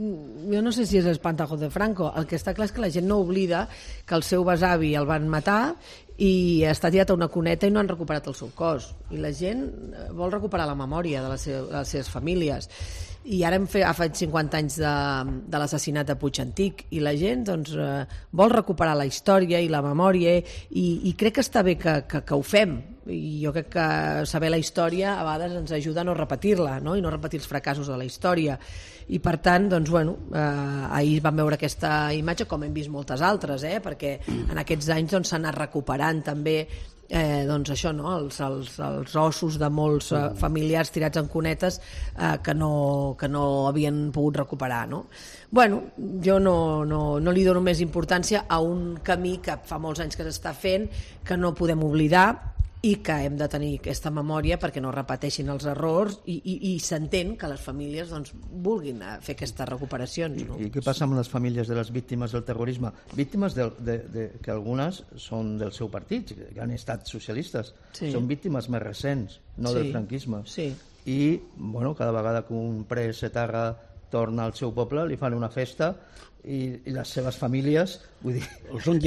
Jo no sé si és l'espantajo de Franco, el que està clar és que la gent no oblida que el seu besavi el van matar i està tirat a una cuneta i no han recuperat el seu cos, i la gent vol recuperar la memòria de les seves, de les seves famílies, i ara hem fet, ha fet cinquanta anys de, de l'assassinat de Puig Antic i la gent doncs, eh, vol recuperar la història i la memòria i, i crec que està bé que, que, que ho fem, i jo crec que saber la història a vegades ens ajuda a no repetir-la, no? I no repetir els fracassos de la història, i per tant doncs, bueno, eh, ahir vam veure aquesta imatge com hem vist moltes altres, eh? Perquè en aquests anys doncs, s'ha anat recuperant també eh, doncs això, no? els, els, els ossos de molts eh, familiars tirats en cunetes eh, que, no, que no havien pogut recuperar, no? Bueno, jo no, no, no li dono més importància a un camí que fa molts anys que s'està fent, que no podem oblidar i que hem de tenir aquesta memòria perquè no repeteixin els errors i, i, i s'entén que les famílies doncs, vulguin fer aquestes recuperacions. No? I què passa amb les famílies de les víctimes del terrorisme? Víctimes de, de, de, que algunes són del seu partit, que han estat socialistes. Sí. Són víctimes més recents, no sí. del franquisme. Sí. I bueno, cada vegada que un pres etarra torna al seu poble li fan una festa i, i les seves famílies vull dir,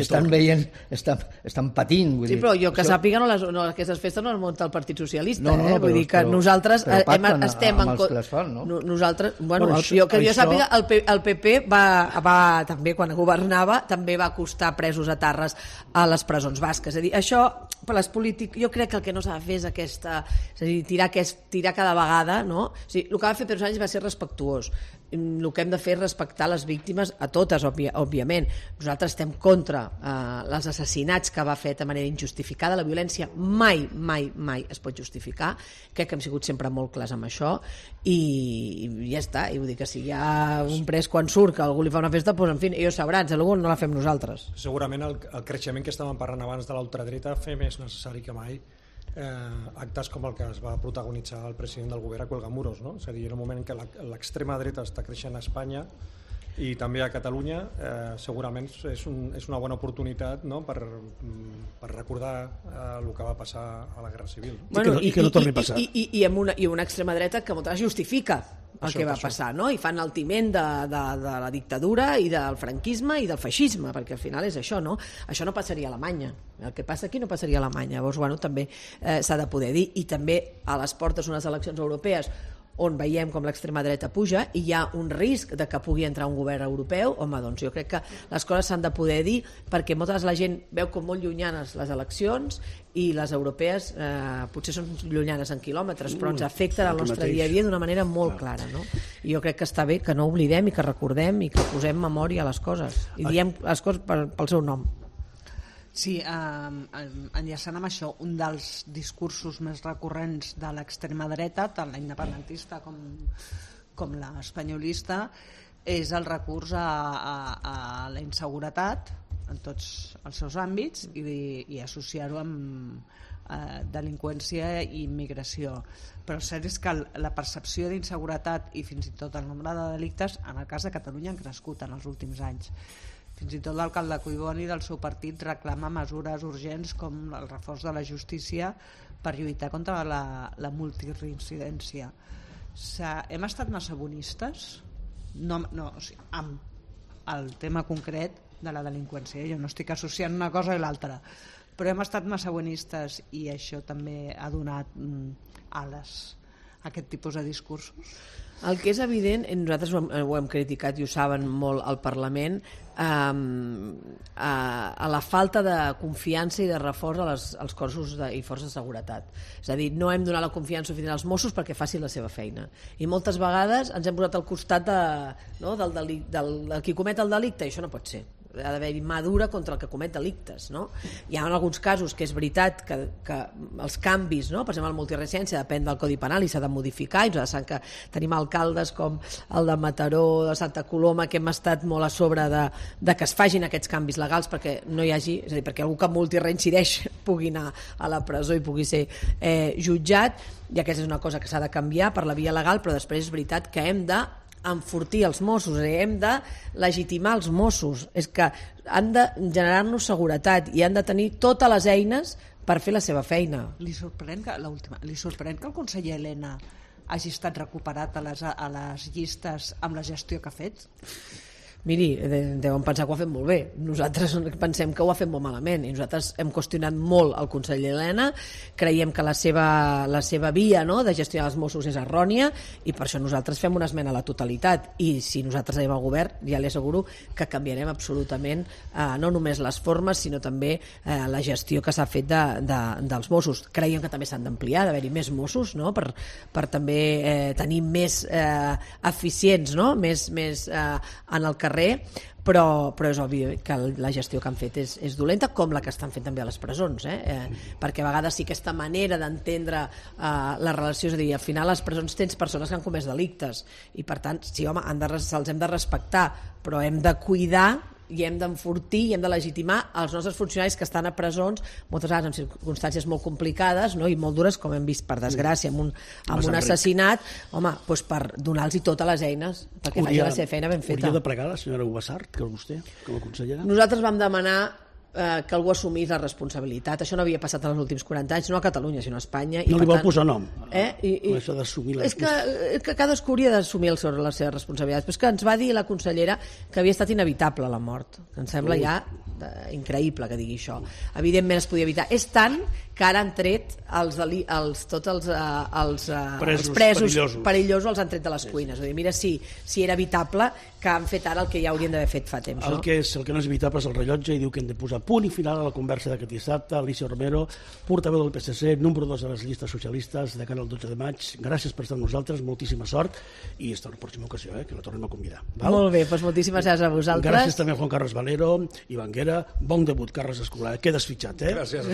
estan veient estan, estan patint vull sí, dir, però jo que això... sàpiga no les, no, aquestes festes no les munta el Partit Socialista no, no, no, eh? Vull però, dir que però, nosaltres però hem, estem amb els que les fan, no? Nosaltres, bueno, bueno això, jo, que jo això... sàpiga el, P, el P P va, va també quan governava també va acostar presos a Tarres a les presons basques, és a dir, això per les polítiques, jo crec que el que no s'ha de fer és aquesta, és a dir, tirar, aquest, tirar cada vegada, no? O sigui, el que va fer Pedro Sánchez va ser respectuós, el que hem de fer és respectar les víctimes a totes, òbvia, òbviament. Nosaltres estem contra eh, els assassinats que va fer de manera injustificada, la violència mai, mai, mai es pot justificar, crec que hem sigut sempre molt clars amb això i, i ja està, i vull dir que si hi ha un pres quan surt que algú li fa una festa, doncs en fi, ells sabran, si algú no la fem nosaltres. Segurament el, el creixement que estàvem parlant abans de l'ultradreta fer més necessari que mai Eh, actes com el que es va protagonitzar el president del govern a Cuelgamuros, no? És a dir, en un moment en què l'extrema dreta està creixent a Espanya I també a Catalunya eh, segurament és, un, és una bona oportunitat, no?, per, per recordar eh, el que va passar a la Guerra Civil. Bueno, I, que no, i que no torni a passar. I, i, i, amb una, i una extrema dreta que moltes vegades justifica el això, que va això. passar, no? I fan el timent de, de, de la dictadura i del franquisme i del feixisme, perquè al final és això, no? Això no passaria a Alemanya. El que passa aquí no passaria a Alemanya. Llavors, bueno, també eh, s'ha de poder dir. I també a les portes d'unes eleccions europees on veiem com l'extrema dreta puja i hi ha un risc de que pugui entrar un govern europeu, home, doncs jo crec que les coses s'han de poder dir, perquè moltes vegades la gent veu com molt llunyanes les eleccions i les europees eh, potser són llunyanes en quilòmetres, però ens afecten el nostre dia a dia d'una manera molt clara, no? I jo crec que està bé que no oblidem i que recordem i que posem memòria a les coses i diem les coses pel, pel seu nom. Sí, eh, enllaçant amb això, un dels discursos més recurrents de l'extrema dreta, tant la independentista com, com l'espanyolista, és el recurs a, a, a la inseguretat en tots els seus àmbits i, i associar-ho amb eh, delinqüència i immigració. Però el cert és que la percepció d'inseguretat i fins i tot el nombre de delictes en el cas de Catalunya han crescut en els últims anys. Fins i tot l'alcalde Collboni del seu partit reclama mesures urgents com el reforç de la justícia per lluitar contra la, la multireincidència. Hem estat massa bonistes? No, no, o sigui, amb el tema concret de la delinqüència. Jo no estic associant una cosa i l'altra, però hem estat massa bonistes i això també ha donat mm, ales a aquest tipus de discursos. El que és evident, nosaltres ho hem, ho hem criticat i ho saben molt al Parlament, eh, a, a la falta de confiança i de reforç a les, als cossos de, i forces de seguretat. És a dir, no hem donat la confiança suficient als Mossos perquè facin la seva feina. I moltes vegades ens hem posat al costat de, no, del, del, del, del qui comet el delicte, i això no pot ser. Ha d'haver-hi mà dura contra el que comet delictes, no? Hi ha en alguns casos que és veritat que, que els canvis, no? Per exemple, la multireincidència depèn del Codi Penal i s'ha de modificar, i nosaltres sabem que tenim alcaldes com el de Mataró, de Santa Coloma, que hem estat molt a sobre de, de que es fagin aquests canvis legals perquè no hi hagi, és a dir, perquè algú que multireincideix pugui anar a la presó i pugui ser eh, jutjat, i aquesta és una cosa que s'ha de canviar per la via legal, però després és veritat que hem de enfortir els Mossos, hem de legitimar els Mossos, és que han de generar-nos seguretat i han de tenir totes les eines per fer la seva feina. Li sorprèn que, l'última, li sorprèn que el conseller Elena hagi estat recuperat a les, a les llistes amb la gestió que ha fet? Miri, deuen pensar que ho ha fet molt bé. Nosaltres pensem que ho ha fet molt malament i nosaltres hem qüestionat molt el conseller Elena, creiem que la seva, la seva via, no?, de gestionar els Mossos és errònia i per això nosaltres fem una esmena a la totalitat, i si nosaltres anem al govern ja li asseguro que canviarem absolutament eh, no només les formes sinó també eh, la gestió que s'ha fet de, de, dels Mossos. Creiem que també s'han d'ampliar, d'haver-hi més Mossos, no?, per, per també eh, tenir més eh, eficients, no?, més, més eh, en el carrer, però, però és obvi que la gestió que han fet és, és dolenta, com la que estan fent també a les presons, eh? Eh, perquè a vegades sí aquesta manera d'entendre eh, la relació, és a dir, al final a les presons tens persones que han comès delictes i per tant, sí, home, han de, se'ls hem de respectar, però hem de cuidar i hem d'enfortir i hem de legitimar els nostres funcionaris que estan a presons moltes vegades en circumstàncies molt complicades, no?, i molt dures, com hem vist per desgràcia amb un, amb un assassinat, home, doncs per donar-los totes les eines perquè facin la seva feina ben feta. Hauria de pregar la senyora Ubassart, que és vostè, com a consellera? Nosaltres vam demanar eh, que algú assumís la responsabilitat. Això no havia passat en els últims quaranta anys, no a Catalunya, sinó a Espanya. No i li vol tant, posar nom, eh? I, i, això d'assumir la és que, que cadascú hauria d'assumir el seu, les seves responsabilitats. Però és que ens va dir la consellera que havia estat inevitable la mort. Em sembla ja eh, increïble que digui això. Evidentment es podia evitar. És tant que ara han tret els, els, tots els, uh, els, uh, presos, els presos perillosos. perillosos els han tret de les cuines. Sí. Dir, mira, si, si era evitable, que han fet ara el que ja haurien d'haver fet fa temps. El, no? que és, el que no és evitable és el rellotge i diu que hem de posar punt i final a la conversa d'aquest dissabte. Alicia Romero, portaveu del P S C, número dos de les llistes socialistes de cara al dotze de maig. Gràcies per estar amb nosaltres, moltíssima sort i fins a la pròxima ocasió, eh, que la tornem a convidar. Val? Molt bé, doncs moltíssimes gràcies a vosaltres. Gràcies també a Juan Carlos Valero i Banguera. Bon debut, Carles Escolar. Quedes fitxat, eh? Gràcies.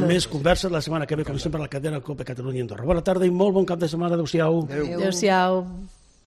Més converses la setmana que ve, com sempre, a la cadena Copa Catalunya Andorra. Bona tarda i molt bon cap de setmana. Adéu-siau. Adéu-siau.